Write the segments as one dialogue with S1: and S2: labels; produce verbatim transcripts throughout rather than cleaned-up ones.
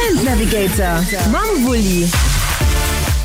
S1: Event Navigator mam Wulli.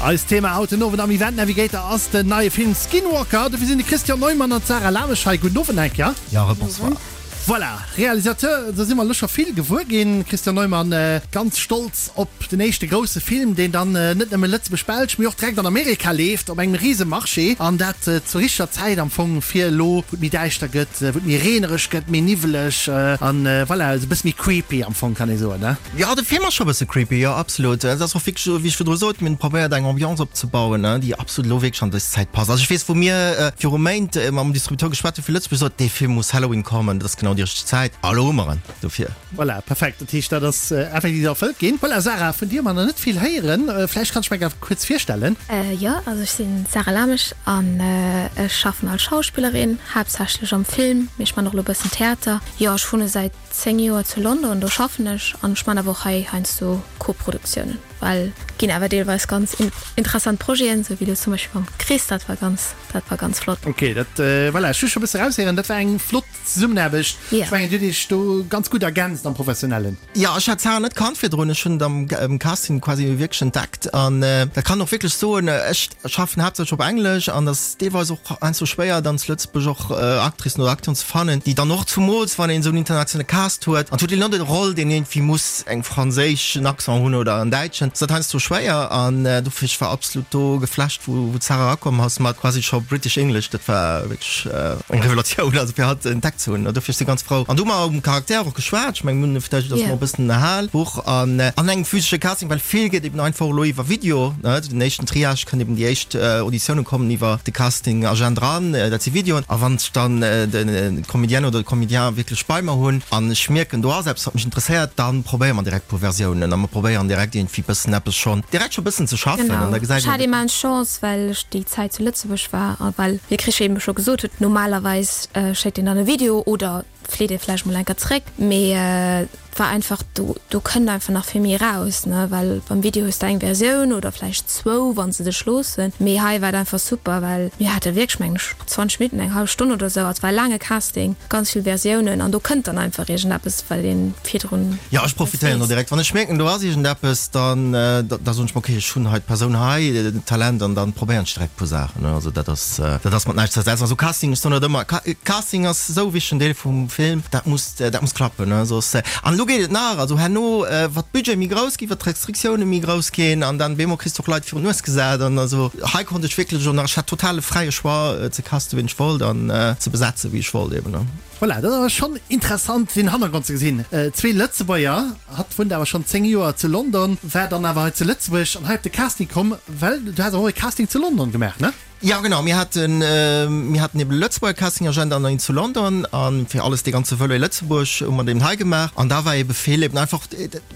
S2: Eist Thema haut den Owend am Event Navigator ass den neie Film Skinwalker. Dofir sinn de Christian Neumann an d'Sarah Lamesch hei. Gudden Owend eng Kéier.
S3: Ja, bonsoir.
S2: Voilà, Realisateur, do si mer elo scho vill gewuer ginn. Christian Neumann, ganz stolz op den éischte grousse Film, deen dann net nëmme Lëtzebuerg-Belsch, mee och direkt an Amerika leeft, op engem rise Marché. An dat zur richteger Zäit am Fong, fir elo, wou et méi däischter gëtt, wou et méi reenereg gëtt, méi niwweleg an voilà, esou e bësse méi creepy am Fong, kann ee soen, ne?
S3: Jo, de Film ass scho e bësse creepy, jo, absolut. Et ass och wierklech esou, wéi ech virdru sot, mir hunn probéiert, eng Ambiance opzebauen, déi absolut elo wierklech an dës Zäit passt. Also ech weess, wou mir viru Méint mam Distributeur geschwat hu fir Lëtzebuerg, sot, dee Film muss Halloween kommen, dat ass genau déi richteg Zäit. A lo hu mer en dofir.
S2: Voilà, perfekt. Dat heescht, dat ass effektiv erfëllt ginn. Voilà, Sarah, vun dir hu mer nach net vill héieren. Vläicht kanns du mech awer kuerz virstellen?
S4: Jo, also ech sinn d'Sarah Lamesch an ech schaffen als Schauspillerin, haaptsächlech am Film, mee ech man och elo e bëssen Theater. Jo, ech wunne säit zéng Joer zu London, do schaffen ech an ech man awer och hei heiansdo Koproduktiounen, well ginn awer deelweis ganz interessant Projeten, sou wéi elo zum Beispill mam Chris, dat war ganz, dat war ganz flott.
S2: Ok, dat, voilà, ech hu scho e bësse eraushéieren, dat war eng flott Zesummenaarbecht. Ech mengen, Dir hutt Iech do ganz gutt ergänzt am Professionellen.
S3: Jo, ech hat d'Sarah net kannt virdrun, ech hunn et am Casting quasi wierklech entdeckt an dat kann och wierklech soen, ech schaffen haaptsächlech op Englesch an et ass deelweis och heiansdo schwéier dann zu Lëtzebuerg och Actricen oder Acteuren ze fannen, déi dann och, zumools wann een esou en internationale Cast huet an et huet een net e Roll, deen iergendwéi muss eng franséischen Accent hunn oder en däitschen, ass dat heiansdo schwéier an dofir, ech war absolut do geflasht, wou d'Sarah erakomm ass mat quasi scho British English, dat war wierklech eng Revelatioun, also fir hatt entdeckt ze hunn. Dofir ech si ganz frou. An do hu mer um Charakter och geschwat, ech mengen, mir hunn vläicht ass mer e bëssen erhal, Buch an an engem physesche Casting, well vill geet eben einfach elo iwwer Video, ne, den éischten Triage kënnt eben, déi éischt Auditiounen kommen iwwer de Casting-Agent eran, dat si Videoen. A wann ech dann d'Comédienne oder de Comédien wierklech bei mer hunn an ech mierken, do ass eppes, wat mech interesséiert, da probéiere mer direkt e puer Versiounen a mer probéieren direkt iergendwéi bëssen eppes schonn direkt scho bëssen ze schaffen
S4: Genau.
S3: an da gesäit
S4: Ech hat
S3: een.
S4: immens Chance, well ech déi Zäit zu Lëtzebuerg war a well, wéi Chris eben scho gesot huet, normalerweis schéckt een dann e Video oder fleet ee vläicht mol eng Kéier zréck, mee et war einfach, do do kënnt einfach nach vill méi eraus, ne, well beim Video hues de eng Versioun oder vläicht zwou, wann se dech loossen, mee hei war et einfach super, well mir hate wierklech, mengen ech, zwanzeg Minutten, eng hallef Stonn oder sou, et war e laange Casting, ganz vill Versiounen an do kënnt dann einfach iergendeppes, wat ee virdrun
S3: Jo, ech
S4: net
S3: profitéieren do
S4: weess.
S3: direkt. Wann ech mierken, do ass iergendeppes, dann da soen ech mer, okay, ech hunn hei d'Persoun hei, d'Talent, an dann probéieren ech direkt e puer Saachen. Also dat ass, dat ass mat näischt ze ersetzen. Also Casting, ech soen dat ëmmer, Casting ass esou e wichtegen Deel vum Film, dat muss, dat muss klappen, ne, soss. An elo geet et nach, also herno, wat d'Budgete méi grouss ginn, wat d'Restriktioune méi grouss ginn, an dann bemol kriss de och Leit virun d'Nues gesat. An also hei konnt ech wierklech och nach, ech hat totale fräie Choix ze casten, wien ech wollt, an ze besetzen, wéi ech wollt eben, ne.
S2: Voilà, dat ass awer schonn interessant deen Hannergrond ze gesinn. Zwee Lëtzebuerger, hatt wunnt awer schonn zéng Joer zu London, war dann awer hei zu Lëtzebuerg an hei op de Casting komm, well du has awer och e Casting zu London gemaach, ne?
S3: Jo genau, mir haten mir haten eben e Lëtzebuerger Casting-Agent an een zu London an fir alles dee ganze Volet Lëtzebuerg hu mer deen hei gemaach an da war ebe vill eben einfach,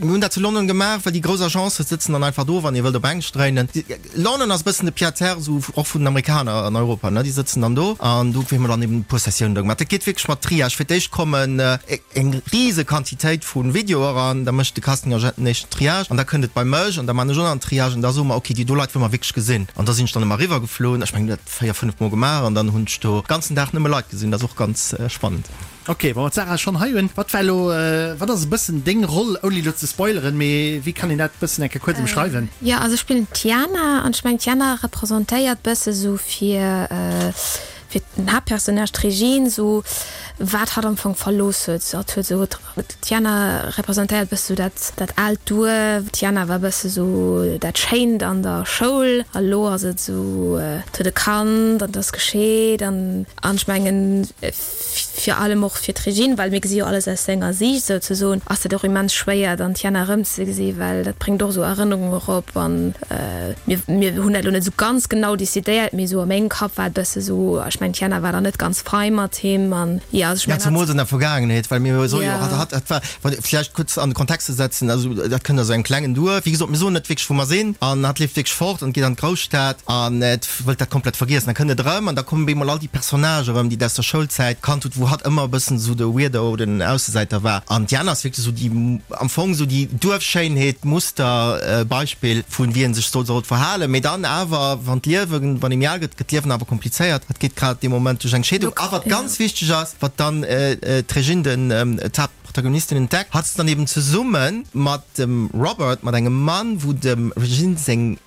S3: mir hunn dat zu London gemaach, well déi grouss Agencë sëtzen dann einfach do, wann ee wëllt op Englesch dréinen. London ass e bëssen de Pied-à-terre esou och vun den Amerikaner an Europa, ne, déi sëtzen dann do an do hu mer dann eben e puer Sessiounen do gemaach. Dat geet wierklech mat Triage, fir d'éischt kommen eng rise Quantitéit vu Videoe eran, da mécht de Casting-Agent den éischten Triage an da kënnt et bei mech an da man ech och nach en Triage an da soe mer, okay, déi do Leit wëlle mer wierklech gesinn an da sinn ech dann ëmmer eriwwergefloen. Ech mengen, dat véier, fënnef Mol gemaach an dann hunn ech do ganzen Dag nëmme Leit gesinn. Dat ass och ganz spannend.
S2: Ok, wa mer d'Sarah schonn hei hunn, wat war elo, wat ass e bëssen deng Roll, ouni elo ze spoileren, mee wéi kann een dat bëssen eng Kéier kuerz ëmschreiwen?
S4: Jo, also ech spillen d'Tiana an ech mengen d'Tiana representéiert bësse sou fir fir den Haaptpersonnage, d'Régine, sou wat hatt am Fong verlooss huet. Hatt huet sou D'Tiana representéiert bësse sou dat dat aalt Duerf. D'Tiana war bësse sou dat Schéint an der Schoul a lo ass et sou, et huet e Kand an et ass gescheet an an ech mengen vir allem och fir d'Régine, well mir gesi jo alles aus senger Siicht souzesoen, ass dat och immens schwéier dann d'Tiana erëmzegesi well dat bréngt och sou Erënnerungen erop an mir mir hunn dat lo net sou ganz genau decidéiert, mee sou a mengem Kapp war et bësse sou, ech mengen d'Tiana war dann net ganz frei mat him an jo, also ech
S3: Ja,
S4: mengen
S3: zemools
S4: hat.
S3: an der Vergaangenheet, well mir soe jo och,
S4: Ja.
S3: hat, hat war, wann, vläicht kuerz an de Kontext ze setzen, also dat kënnt aus engem klengen Duerf, wéi gesot, mir soen net wierklech wou mer sinn, an hat leeft wierklech fort an geet an d'Grousstad an et wëllt dat komplett vergiessen. Da kënnt et erëm an da kommen op eemol all déi Personnagen erëm, déi et aus der Schoulzäit kannt hutt, wou hatt ëmmer e bëssen esou de Weirdo, den Aussesäiter war. An d'Diana ass wierklech esou déi, am Fong esou déi Duerfschéinheet, Muster, Beispill vun wéi ee sech soll sollt verhalen. Mee dann awer, wann d'Liewen, wann ee méi al gëtt, gëtt d'Liewen awer komplizéiert. Hatt geet grad dee Moment duerch eng Scheedung. A wat ganz wichteg ass, wat dann d'Régine, den d'Haaptprotagonistin, Protagonistin entdeckt, hat se dann eben zesumme mat dem Robert, mat engem Mann, wou dem Regine seng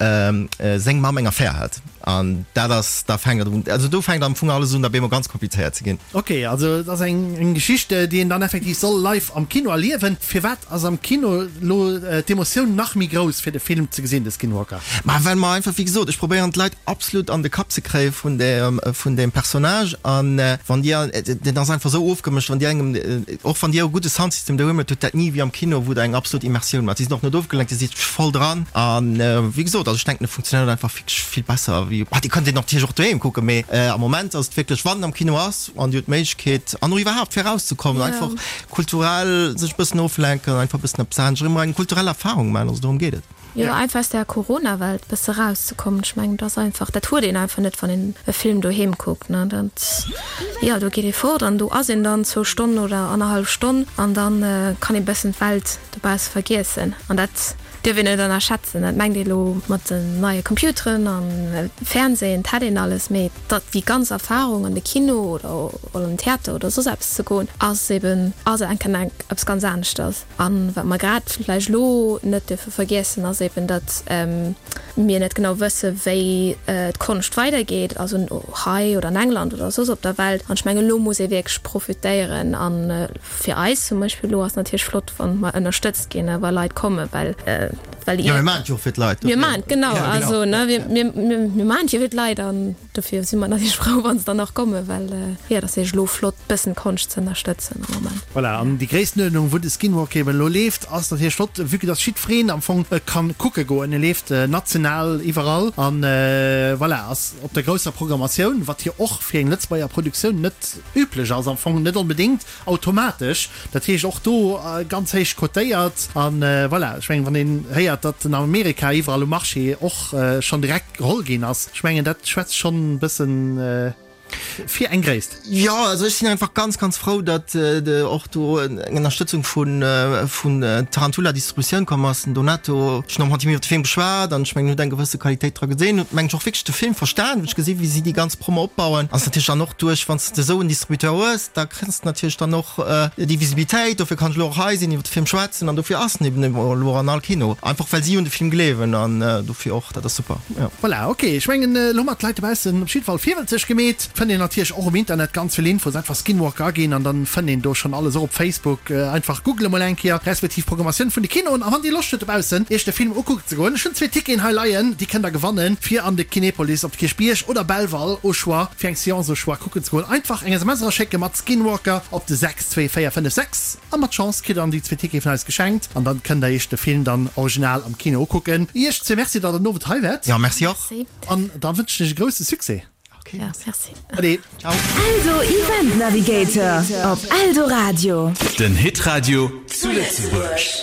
S3: seng Mamm eng Affär hat. An dat ass, da fänkt et un, also do fänkt am Fong alles un, da bemol ganz komplizéiert ze ginn.
S2: Ok, also et ass eng eng Geschicht, déi een dann effektiv soll live am Kino erliewen. Firwat ass am Kino elo d'Emotioun nach méi grouss fir de Film ze gesinn, de Skinwalker?
S3: Ma well mer einfach, wéi gesot, ech probéieren d'Leit absolut an de Kapp ze kréie vun deem vun deem Personnage an wann Dir, deen ass einfach esou ofgemëscht, wann Dir engem, och wann Dir e gudde Soundsystem doheem hutt, hutt dat ni wéi am Kino, wou Der eng absolut Immersioun maacht. Si sinn och net ofgelenkt, Dir sidd voll dran an wéi gesot, also ech denken e funktionéiert einfach wierklech vill besser wéi, bah, Dir kënnt deen natierlech och doheem kucken, mee am Moment ass et wierklech, wann en am Kino ass an Dir hutt d'Méiglechkeet an och iwwerhaapt fir erauszekommen, einfach kulturell sech e bëssen oflenken, einfach e bëssen eppes anescht, erëm eng kulturell Erfarung maachen, also dorëm geet et.
S4: Jo, einfach aus där Corona-Welt bësse rauszekommen. Ech mengen, dat ass einfach, dat huet een einfach net, wann een e Film doheem kuckt, ne. Dat, jo, do geet ee fort an do ass een dann zwou Stonnen oder annerhallef Stonn an da kann ee bëssen d'Welt dobausse vergiessen. An dat dierf een net ënnerschätzen. Dat mengt ee lo mat den neie Computeren a Fernsehen, dat hätt een alles, mee dat déi ganz Erfarung an de Kino oder an den Theater oder soss eppes ze goen, ass eben, ass enk eppes ganz aneschters. An wat mer grad vläicht elo net dierfe vergiessen, ass eben, datt mir net genau wësse wéi d'Konscht weidergeet, also hei oder an England oder soss op der Welt. An ech mengen, elo muss ee wierklech profitéieren. A fir eis zum Beispill elo ass natierlech flott, wa mer ënnerstëtzt ginn a wa Leit kommen, well well
S3: Jo, mir maachen et jo och fir d'Leit.
S4: Mir maachen et, genau. Also, ne, mir mir maachen et jo fir d'Leit an dofir si mer natierlech frou, wa se dann och kommen, well jo, et ass wierklech elo flott, bëssen d'Konscht ze ënnerstëtzen am Moment.
S2: Voilà, an déi Gréisstenuerdnung, wou de Skinwalker eben elo leeft, ass natierlech flott, vue que dass jiddwereen am Fong e kann kucke goen. E leeft national iwwerall an voilà, ass op der grousser Programmatioun, wat jo och fir eng Lëtzebuerger Produktioun net üblech ass, am Fong net onbedéngt automatesch. Dat heescht och do ganz héich cotéiert an voilà, ech mengen, wann een héiert, datt en an Amerika iwwerall um Marché och schonn direkt geholl ginn ass, ech mengen, dat schwätzt schonn e bëssen fir eng Gréisst.
S3: Jo, also ech sinn einfach ganz, ganz frou, datt och do eng Ënnerstëtzung vun vun Tarantula Distributioun komm ass. Den Donato, ech hunn och mat him iwwer de Film geschwat an ech mengen, en huet eng gewësse Qualitéit dra gesinn, huet mengen ech och wierklech de Film verstan, huet gesi wéi si déi ganz Promo opbauen. Ass natierlech dann och duerch, wann s de esou en Distributeur hues, da kriss de natierlech dann och déi Visibilitéit. Dofir kann ech elo och hei sinn, iwwer de Film schwätzen an dofir ass en eben elo och an all Kino, einfach well si un de Film gleewen an dofir och, dat ass super, jo.
S2: Voilà, ok, ech mengen elo hu mer d'Leit dobaussen op jidde Fall virwëlzeg gemeet. Fënnt een natierlech och um Internet ganz vill Infos, einfach Skinwalker aginn an dann fënnt een do schonn alles, och op Facebook, einfach googele mol eng Kéier, respektiv Programmatioun vun de Kinoen. A wann dir Loscht hutt dobaussen iech de Film ukucken ze goen, ech hunn zwee Ticketen hei leien, déi kënnt der gewannen fir an de Kinepolis op de Kierchbierg oder Belval au choix fir eng Seance au choix kucken ze goen. Einfach eng S M S eraschécke mat Skinwalker op de sechs zwee véier fënnef sechs a mat Chance kritt der dann déi zwee Tickete vun eis geschenkt an dann kënnt der iech de Film dann original am Kino ukucken. Iech zwee Merci, datt der den Owend hei waart.
S3: Jo, merci och.
S2: An da wënschen ech e grousse Succès.
S3: Okay,
S4: ja, merci.
S2: Allez.
S3: Ciao.
S1: Eldo Event Navigator op Eldoradio.
S5: Den Hitradio zu Lëtzebuerg.